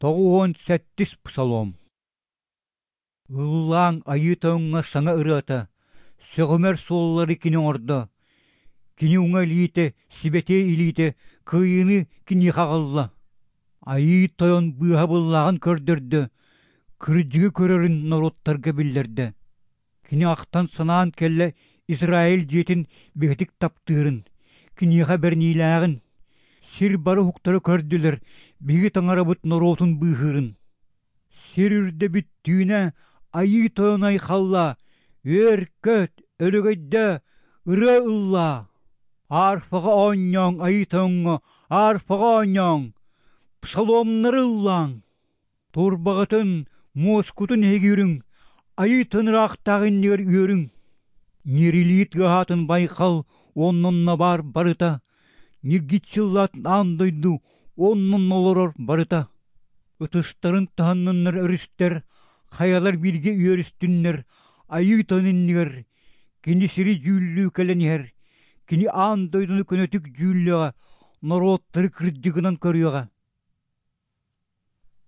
97-с Псалом. Ыллааҥ Айыы Тойоҥҥо саҥа ырыата, сөҕүмэр суоллары кини оҥордо. Кини уҥа илиитэ, сибэтиэй илиитэ кыайыыны киниэхэ аҕалла. Айыы Тойон быыһабыллааҕын көрдөрдө, кырдьыгы көрөрүн норуоттарга биллэрдэ. Кини ахтан-санаан кэллэ Израиль дьиэтин бигэтик таптыырын, киниэхэ бэриниилээҕин, сир бары уһуктара көрдүлэр биһиги Таҥарабыт норуотун быыһыырын. Сир үрдэ бүттүүнэ Айыы Тойон айхаллаа, үөр-көт, өрөгөйдөө, ырыа ыллаа! Арфаҕа оонньооҥ Айыы Тойоҥҥо, арфаҕа оонньооҥ, псаломнары ыллааҥ! Турбаҕытын, муоскутун эһиги үрүҥ, Айыы Тойон ыраахтааҕы иннигэр үөрүҥ! Ньирилии тыаһаатын байҕал уонна онно баар барыта, ньиргиччи ыллаатын аан дойду уонна онно олорор барыта. Ытыстарын таһынныннар өрүстэр, хайалар бииргэ үөрүстүннэр, Айыы Тойон иннигэр, кини сири дьүүллүү кэлэн иһэр, кини аан дойдуну көнөтүк дьүүллүөҕэ, норуоттары кырдьыгынан көрүөҕэ.